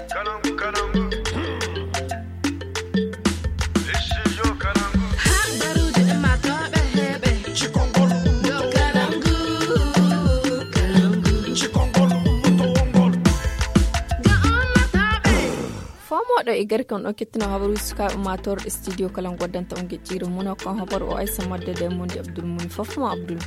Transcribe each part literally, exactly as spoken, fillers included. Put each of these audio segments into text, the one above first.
Har baruuji ummaatooɓe heɓe. Cikongol ummoto wongol. Cikongol ummoto wongol. Ga ummaatooɓe. Fomooɗo e garke on ɗon kettino habaruuji sukaaɓe ummaatoore ɗe studio kala goddanta on geƴƴiire mum o kon habaru o Aysa Madde de Mondi Abdul Muni fof mo Abdul.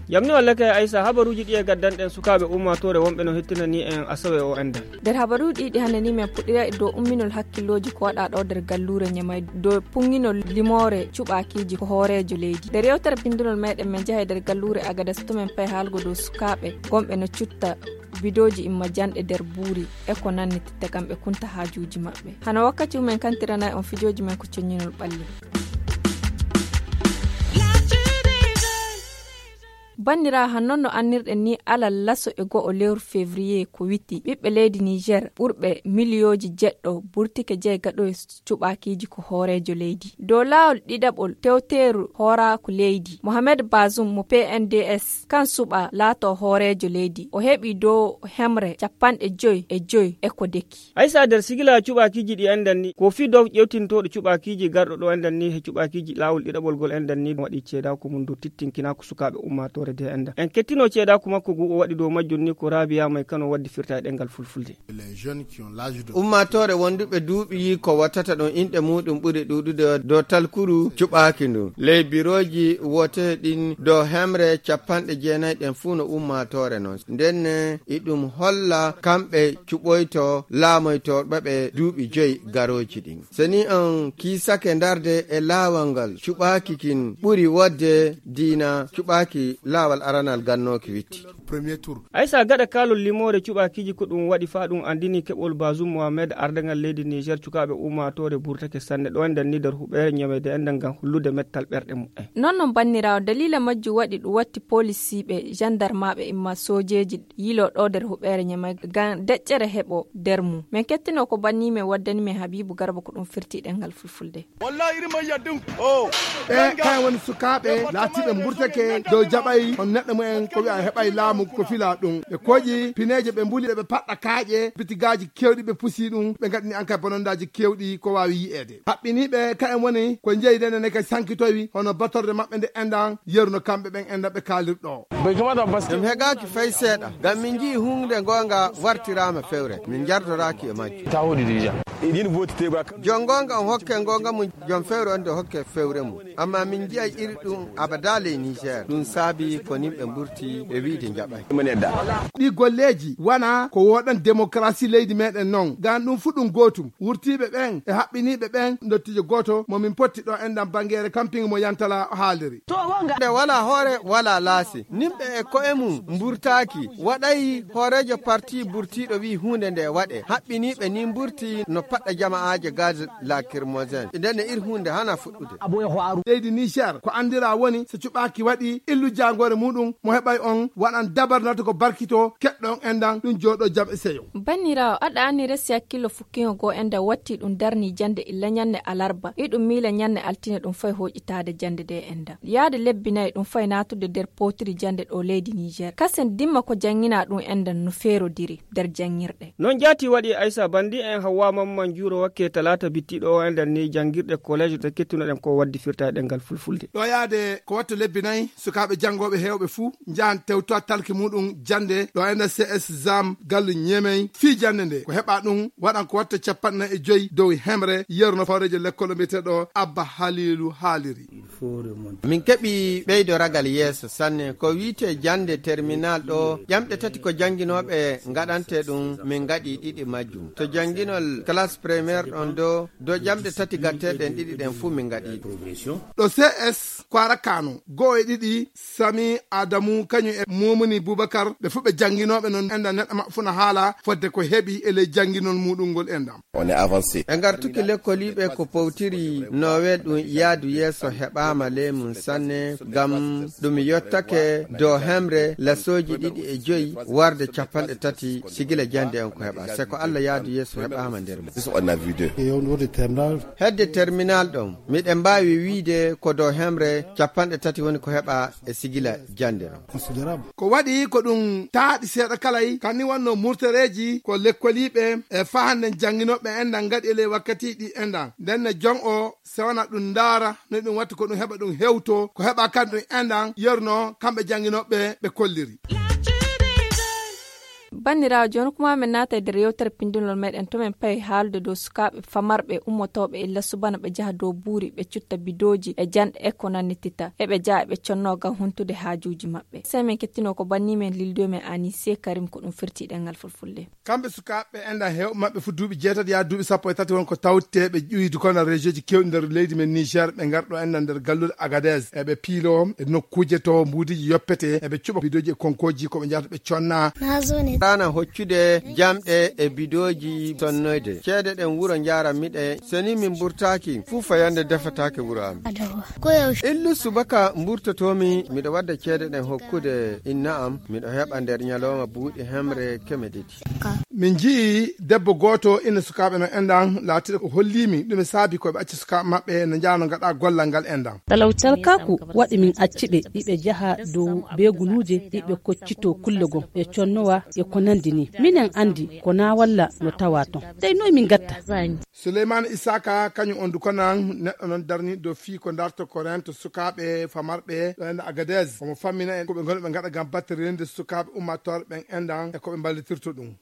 Yamni walla kay Aysa, habaruuji ɗi e gaddanɗen sukaaɓe ummaatoore wonɓe no hettinani en asawe o enɗan. Nder habaruuji ɗi hannde ni men puɗɗira e dow umminol hakkillooji ko waɗa ɗo nder galluure Ñamay dow puŋŋinol limoore cuɓaakiiji ko hooreejo leydi. Nder yewtere bindunol meɗen men njaha e nder galluure Agadas to men pay haalgo dow sukaaɓe gonɓe no cutta bidooji imma janɗe nder buuri e ko nanni titta kamɓe kunta haajuuji maɓɓe. Hano wakkati umen kantiranay on fijooji men ko coññinol ɓalli. Banniraawo, han non no annirɗen ni, alal laso e go'o lewru février ko witti, ɓiɓɓe leydi Niger ɓurɓe miliyooji jeɗɗo burtike jey gaɗo e cuɓaakiiji ko hooreejo leydi. Dow laawol ɗiɗaɓol tewteeru hooraaku leydi, Mohamed Bazoum mo P N D S, kan suɓa laato hooreejo leydi. O heɓi dow hemre capanɗe joy e joy e ko deki. Aysa, nder sigila cuɓaakiiji ɗi enɗan ni, ko fii dow ƴewtintooɗo cuɓaakiiji garɗo ɗo enɗan ni he cuɓaakiiji laawol ɗiɗaɓol gol enɗan ni waɗi ceedaaku mum dow tittinkinaaku sukaaɓe ummaatoore de enɗan. En kettino ceedaaku makko ngu o waɗi dow majjum ni ko Rabia May Kano waddi firta e ɗemngal fulfulde. Ummaatoore wonduɓe duuɓi ko wottata ɗum inɗe muɗum ɓuri ɗuuɗude dow talkuru cuɓaaki ndu. Ley birooji wote ɗin dow hemre capanɗe jeenayi ɗen fuu no ummaatoore non. Nden e ɗum holla kamɓe cuɓoyto laamoytooɓe ɓe duuɓi joyi garooji ɗin. So ni on kiisake ndarde e laawol ngal cuɓaaki kin ɓuri wodde diina cuɓaaki laawol aranal gannooki witti. Premier tour. Aysa, gaɗa kaalol limoore cuɓaakiiji ko ɗum waɗi faa ɗum anndini keɓol Bazoum Mohamed ardangal leydi Niger, cukaaɓe ummaatoore burtake sanne ɗo enɗan ni nder huɓeere ñameyde enɗan ngam hollude mettal ɓerɗe mumen. Non non banniraawo, daliila majjum waɗi ɗum watti poolisiiɓe, jandarmaaɓe imma soojeeji yilo ɗo nder huɓeere ñamey ngam deƴƴere heɓo nder mum. Men kettino ko banni men waddani men Habibu Garba ko ɗum firti ɗemngal fulfulde. Wallahi iri mai yaddin. Oh. Ɓe kayen woni sukaaɓe laatiiɓe mburtake dow jaɓay on neɗɗo mumen ko wi'a heɓay laamu ko fila ɗum. Ɓe koƴi pineeje ɓe mbuli ɓe paɗɗa kaaƴe bitigaaji kewɗi ɓe pusi ɗum ɓe ngaɗini an kay bonondaaji kewɗi ko waawi yi'eede. Haɓɓiniiɓe kayen woni ko njeyi nde nene kay sankitowi hono batorde maɓɓe nde enɗan yeru no kamɓe ɓen enɗan ɓe kaalirɗo. Ɗum hegaaki fay seeɗa, ngam min nji'i huunde ngoonga wartiraama fewre, min njardoraaki e majjum. Tahuɗi déjà. Jon ngoonga on hokke ngoonga mum, jon fewre on nde hokke fewre mum. Amma min nji'ay iri ɗum abada ley Niger. Ɗum saabi ko nimɓe mburti e wi'de njaɓay. Ɗi golleeji wana ko woɗan démocratie leydi meɗen non. Ngam ɗum fu ɗum gootum. Wurtiiɓe ɓen e haɓɓiniiɓe ɓen ndottiijo gooto mo min potti ɗo enɗan bangeere camping mo Yantala haaliri. Nde wala hoore, wala laasi. Nimɓe e ko'e mum mburtaaki. Waɗay hooreejo parti burtiiɗo wi'i huunde nde waɗe. Haɓɓiniiɓe ni mburti no paɗɗa jama'aaje gaz lacrymogène. Nden e ir huunde hana fuɗɗude. Leydi Niger ko anndira woni so cuɓaaki waɗi illu jaangoore muɗum mo heɓay on waɗan dabar nata ko barkito keɗɗo on enɗan ɗum jooɗo jam e seyo. Banniraawo, aɗa anni resi hakkillo fukkiŋo goo enɗan watti ɗum darni jannde illa ñannde alarba. Iɗum miila ñannde altine ɗum fay hooƴitaade jannde ɗe enɗan. Yaade lebbi nayi ɗum fay naatude nder pootiri jannde ɗo leydi Niger. Kasen dimma ko janngina ɗum enɗan no feerodiri nder janngirɗe. Non jaati waɗi Aysa Bandi en Hawwa Mamman Juuro wakke talaata bittiɗo o enɗan ni janngirɗe collège ɗe kettunoɗen ko waddi firta e ɗemngal fulfulde. Ɗo yaade ko watto lebbi nayi sukaaɓe janngooɓe heewɓe fuu njahan tewtowa talki muɗum jannde ɗo enɗan C S Zam gallu Ñemey fii jannde nde ko heɓa ɗum waɗan ko watta capanɗe nayi e joyi dow hemre yeru no fawreejo lekkol o mbiyeteeɗo Abba Haliilu haaliri. Min keɓi ɓeydo ragal yeeso sanne ko wiite jannde terminal ɗo ƴamɗe tati ko jannginooɓe ngaɗante ɗum min ngaɗi ɗiɗi majjum to jannginol classe première ɗon do do ƴamɗe tati gatteɗen ɗiɗi ɗen fuu min ngaɗi ɗum. Ɗo C S Kwara Kano go'o e ɗiɗi Sami Adamu kañum e Mumuni Bubakar ɓe fuu ɓe jannginooɓe non enɗan neɗɗo maɓɓe fuu na haala fodde ko heɓi e ley jannginol muɗum ngol enɗan. On est avancé. E ngartuki lekkoliiɓe ko powtiri nowe ɗum yaadu yeeso heɓaama ley mum sanne ngam ɗum yottake dow hemre lasooji ɗiɗi e joyi warde capanɗe tati sigila jannde on ko heɓa se ko Allah yaadu yeeso heɓaama nder mum. Hedde terminal ɗon, miɗen mbaawi wiide ko dow hemre capanɗe tati woni ko heɓa e sigila jannde ɗon. Ko waɗi ko ɗum taaɗi seeɗa kalay, kan ni wonno murtoreeji ko lekkoliiɓe e fahande jannginooɓe enɗan ngaɗi e ley wakkatiiji ɗi enɗan. Nden ne jon o sewana ɗum ndaara no ɗum watti ko ɗum heɓa ɗum hewto, ko heɓa kan ɗum enɗan yerno kamɓe jannginooɓe ɓe kolliri. Banniraawo, jooni kuma min naata e nder yewtere pindinol meɗen to min payi haalude dow sukaaɓe famarɓe ummotooɓe e lasubana ɓe jaha dow buuri ɓe cutta bidooji e janɗe e ko nannitita. Eɓe jaha eɓe conno ngam huntude haajuuji maɓɓe. Sey min kettino ko banni men lildo men Anise Karim ko ɗum firti ɗengal fulfulde. Kamɓe sukaaɓe enɗan heewɓe maɓɓe fu duuɓi jeetati yaa duuɓi sappo e tati won ko tawte ɓe ƴuwidu kono rejioji kewɗi nder leydi men Niger ɓe ngarɗo enɗan nder galluɗe Agadez. Eɓe piilo e nokkuuje to mbuudiji yoppete, eɓe cuɓa bidooji e konkoji ko ɓe njahata ɓe conna. Rana hoccude jamɗe e bidooji sonnoyde. Ceede ɗen wuro njaran miɗe, so ni min mburtaaki, fuu fayande defataake wuro am. Illu subaka mburtotoomi, miɗo wadda ceede ɗen hokkude inna am, miɗo heɓa nder ñalawma buuɗi hemre keme ɗiɗi. Min nji'i debbo gooto ina sukaaɓe no enɗan laatiɗo ko holliimi ɗume saabi ko ɓe acci sukaaɓe maɓɓe no njaano ngaɗa gollal ngal enɗan. Talkaaku waɗi min acci ɓe, iɓe jaha dow beegunuuje, iɓe koccito kulle gom, e connowa e ko nandi ni. Minen andi ko na walla no tawa ton. Dey noy min gatta? Souleymane Isaka, kañum on dukonan neɗɗo non darni dow fii ko darto ko rento sukaaɓe famarɓe ɗo enɗan Agadez. Omo fammina en ko ɓe ngoni ɓe ngaɗa ngam battirinde sukaaɓe ummatooɓe ɓen enɗan e ko ɓe mballitirto ɗum.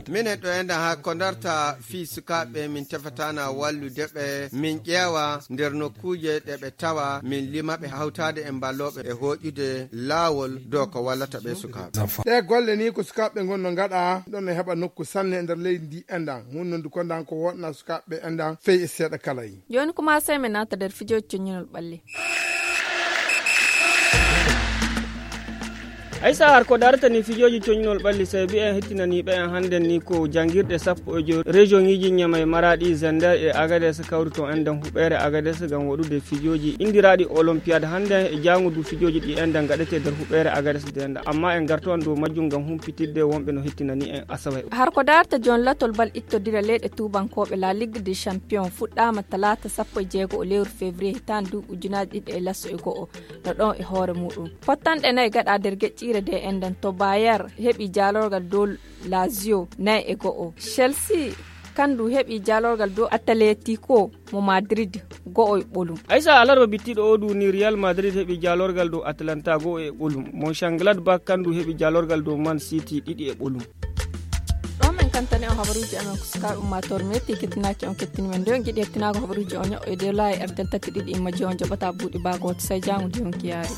Minen ɗo enɗan haa ko darta fii sukaaɓe min tefatana wallude ɓe, min ƴeewa nder nokkuuje ɗe ɓe tawa, min lima ɓe hawtaade e mballooɓe e hooƴude laawol dow ko wallata ɓe sukaaɓe. Ɗe golle ni ko sukaaɓe ngon no ngaɗa, ɗon no heɓa nokku sanne nder leydi ndi enɗan. Hunnondu ko ndan ko wonɗa sukaaɓe enɗan fey e seeɗa kala yi. Jooni kuma sey min naata nder fijooji coññinol ɓalli. Aysa, har ko darata ni fijooji coññinol ɓalli, sey mbiyen hettinaniiɓe en hannden ni ko janngirɗe sappo e joy région ŋiiji Ñamey, Maraɗi, Zender e Agades kawri toon enɗan huɓeere Agades ngam waɗude fijooji inndiraaɗi Olympiade hannden e jaango du fijooji ɗi enɗan ngaɗetee nder huɓeere Agades nde enɗan. Amma en ngartowan dow majjum ngam humpitidde wonɓe no hettinani en Asawe. Har ko darta jooni latol bal ittodira leyɗe tuubankooɓe La Ligue des Champions fuɗɗaama talaata sappo e jeego o lewru février hitaande duuɓi ujunaaji ɗiɗi e laso e go'o no ɗon e hoore muɗum. Pottanɗe nayi gaɗa nder geƴƴiire nde enɗan to Bayer heɓi jaalorgal dow Lazio nayi e go'o. Chelsea kandu heɓi jaalorgal dow Atletico mo Madrid go'o e ɓolum. Aysa, alarba bittiɗo o du ni Real Madrid heɓi jaalorgal dow Atlanta go'o e ɓolum. Mönchengladbach kandu heɓi jaalorgal dow Man City ɗiɗi e ɓolum. Ɗo men kantani on habaruuji amen ko sukaaɓe ummaatoore metti kettinaaki on kettini men. Nde on giɗi hettinaako habaruuji on ño'o e dow laayi R T L tati ɗiɗi imma je on jaɓata buuɗi baa gooto. Sey jaango de on kiyaari.